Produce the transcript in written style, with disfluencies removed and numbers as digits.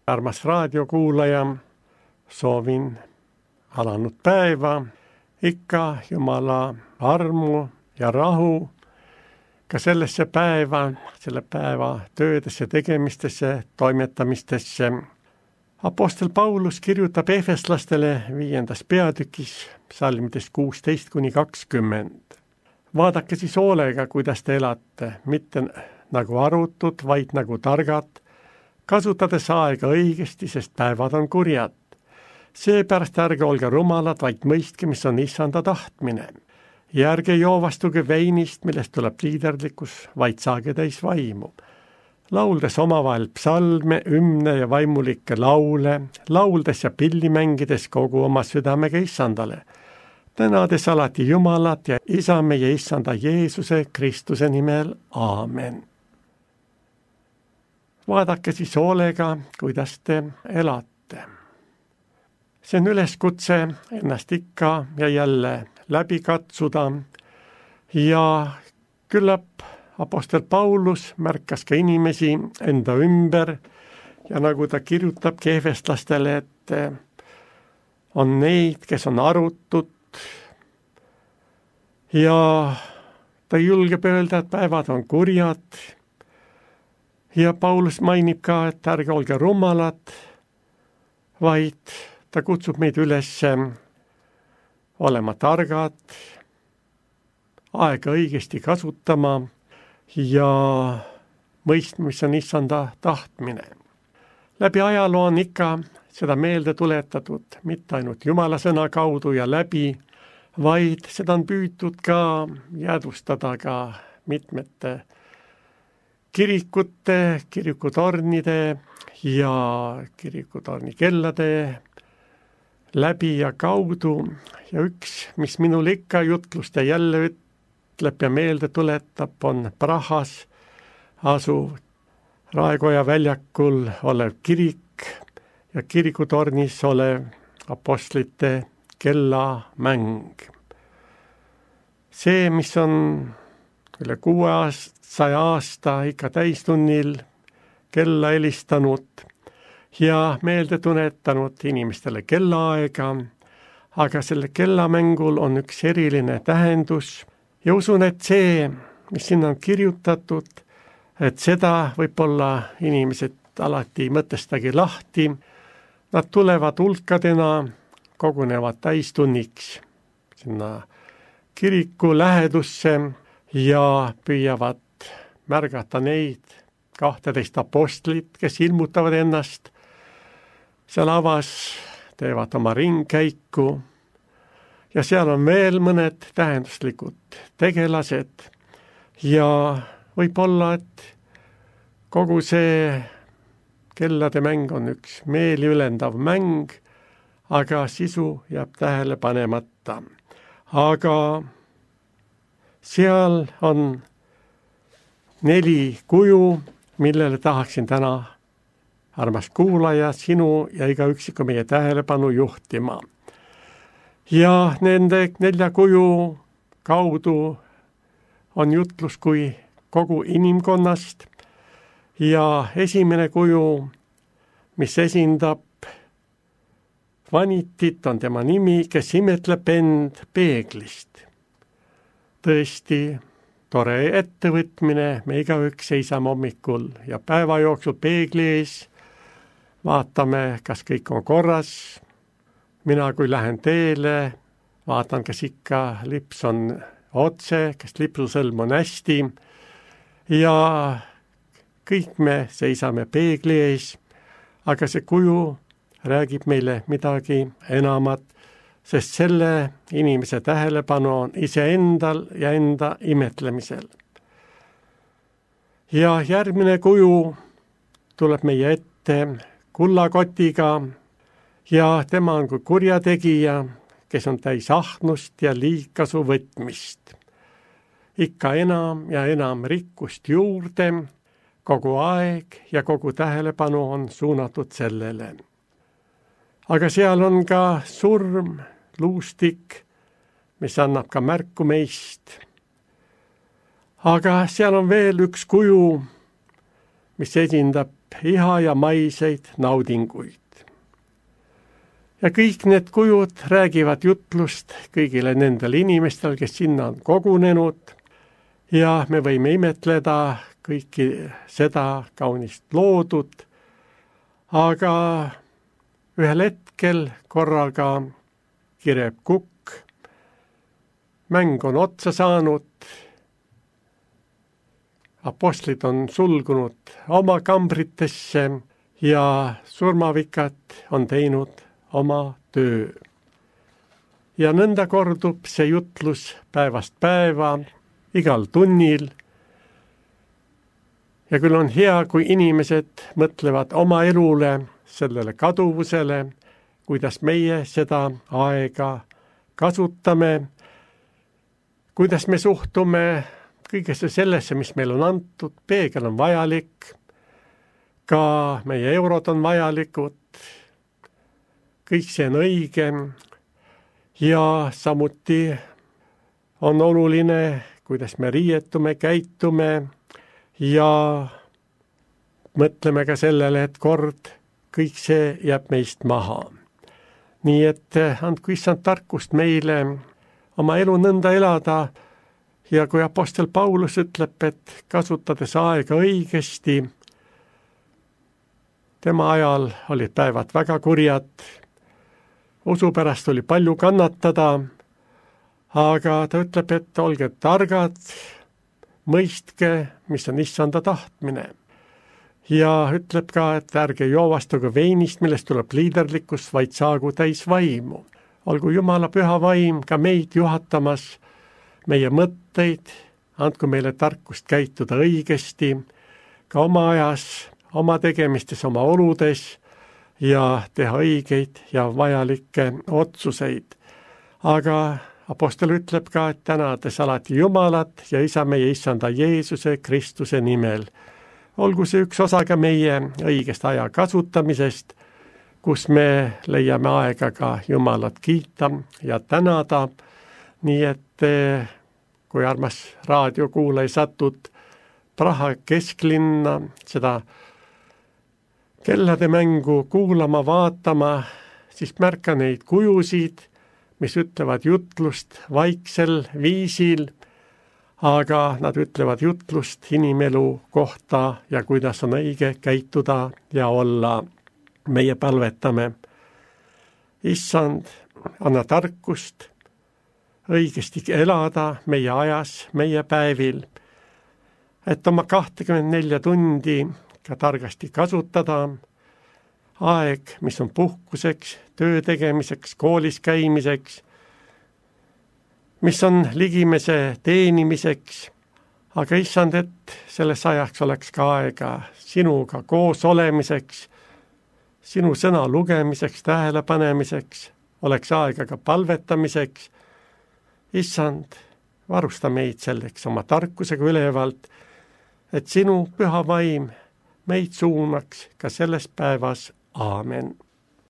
Armas raadiokuulaja, soovin alanud päeva, ikka Jumala armu ja rahu ka sellesse päeva, selle päeva töödesse, tegemistesse, toimetamistesse. Apostel Paulus kirjutab efeslastele 5. peatükis psalmidest 16-20. Vaadake siis hoolega, kuidas te elate, mitte nagu arutud, vaid nagu targad, kasutades aega õigesti, sest päevad on kurjad. Seepärast ärge olge rumalad, vaid mõistke, mis on issanda tahtmine. Ja ärge joovastuge veinist, millest tuleb liiderlikkus, vaid saage täis vaimu. Lauldes omavahel psalme, hümne ja vaimulikke laule, lauldes ja pilli mängides kogu oma südamega issandale. Tänades alati Jumalat ja isa meie issanda Jeesuse Kristuse nimel. Aamen. Vaadake siis hoolega, kuidas te elate. See on üleskutse ennast ikka ja jälle läbi katsuda ja küllap apostel Paulus märkas ka inimesi enda ümber ja nagu ta kirjutabki efeslastele, et on neid, kes on arutud ja ta julgeb öelda, et päevad on kurjad ja Paulus mainib ka, et ärge olge rumalad, vaid ta kutsub meid üles olema targad, aega õigesti kasutama ja mõistma, mis on issanda tahtmine. Läbi ajaloo on ikka seda meelde tuletatud, mitte ainult Jumala sõna kaudu ja läbi, vaid seda on püütud ka jäädvustada ka mitmete kirikute, kirikutornide ja kirikutornikellade läbi ja kaudu ja üks, mis minul ikka jutlust ja jälle ütleb ja meelde tuletab, on Prahas asuv Raekoja väljakul olev kirik ja kirikutornis olev apostlite kellamäng. See, mis on üle 600 aasta ikka täistunnil kella helistanud ja meelde tunnetanud inimestele kellaaega, aga selle kellamängul on üks eriline tähendus ja usun, et see, mis sinna on kirjutatud, et seda võib-olla inimesed alati mõtestagi lahti, nad tulevad hulkadena, kogunevad täistunniks sinna kiriku lähedusse ja püüavad märgata neid 12 apostlit, kes ilmutavad ennast seal avas, teevad oma ringkäiku ja seal on veel mõned tähenduslikud tegelased ja võib-olla, et kogu see kellade mäng on üks meeli ülendav mäng, aga sisu jääb tähele panemata. Aga seal on 4 kuju, millele tahaksin täna, armas kuulaja, sinu ja iga üksiku meie tähelepanu juhtima. Ja nende 4 kuju kaudu on jutlus kui kogu inimkonnast ja esimene kuju, mis esindab vanitit, on tema nimi, kes imetleb end peeglist. Tõesti tore ettevõtmine, me igaüks seisame hommikul ja päeva jooksul peegli ees, vaatame, kas kõik on korras. Mina, kui lähen teele, vaatan, kas ikka lips on otse, kas lipsusõlm on hästi ja kõik me seisame peegli ees, aga see kuju räägib meile midagi enamat, sest selle inimese tähelepanu on iseendal ja enda imetlemisel. Ja järgmine kuju tuleb meie ette kullakotiga ja tema on kui kurjategija, kes on täis ahnust ja liigkasu võtmist. Ikka enam ja enam rikkust juurde, kogu aeg ja kogu tähelepanu on suunatud sellele. Aga seal on ka surm, luustik, mis annab ka märku meist. Aga seal on veel üks kuju, mis esindab iha ja maiseid naudinguid. Ja kõik need kujud räägivad jutlust kõigile nendele inimestele, kes sinna on kogunenud ja me võime imetleda kõiki seda kaunist loodut, aga ühel hetkel korraga kireb kukk, mäng on otsa saanud, apostlid on sulgunud oma kambritesse ja surmavikad on teinud oma töö. Ja nõnda kordub see jutlus päevast päeva, igal tunnil. Ja küll on hea, kui inimesed mõtlevad oma elule, sellele kaduvusele, kuidas meie seda aega kasutame, kuidas me suhtume kõigesse sellesse, mis meil on antud, peegel on vajalik, ka meie eurod on vajalikud, kõik see on õige ja samuti on oluline, kuidas me riietume, käitume ja mõtleme ka sellele, et kord kõik see jääb meist maha. Nii et andku issand tarkust meile oma elu nõnda elada ja kui apostel Paulus ütleb, et kasutades aega õigesti, tema ajal olid päevad väga kurjad, usu pärast oli palju kannatada, aga ta ütleb, et olge targad, mõistke, mis on issanda tahtmine. Ja ütleb ka, et ärge joovastuge veinist, millest tuleb liiderlikkus, vaid saagu täis vaimu. Olgu Jumala püha vaim ka meid juhatamas, meie mõtteid, andku meile tarkust käituda õigesti, ka oma ajas, oma tegemistes, oma oludes, ja teha õigeid ja vajalikke otsuseid. Aga apostel ütleb ka, et tänades alati Jumalat ja isa meie issanda Jeesuse Kristuse nimel. Olgu see üks osa ka meie õigest aja kasutamisest, kus me leiame aega ka Jumalat kiita ja tänada, nii et kui armas raadiokuulaja satud Praha kesklinna seda kellade mängu kuulama, vaatama, siis märka neid kujusid, mis ütlevad jutlust vaiksel viisil, aga nad ütlevad jutlust inimelu kohta ja kuidas on õige käituda ja olla. Meie palvetame. Issand, anna tarkust õigesti elada meie ajas, meie päevil, et oma 24 tundi ka targasti kasutada, aeg, mis on puhkuseks, töö tegemiseks, koolis käimiseks, mis on ligimese teenimiseks, aga issand, et selles ajaks oleks ka aega sinuga koos olemiseks, sinu sõna lugemiseks, tähelepanemiseks, oleks aega ka palvetamiseks. Issand, varusta meid selleks oma tarkusega ülevalt, et sinu püha vaim meid suunaks ka selles päevas. Aamen.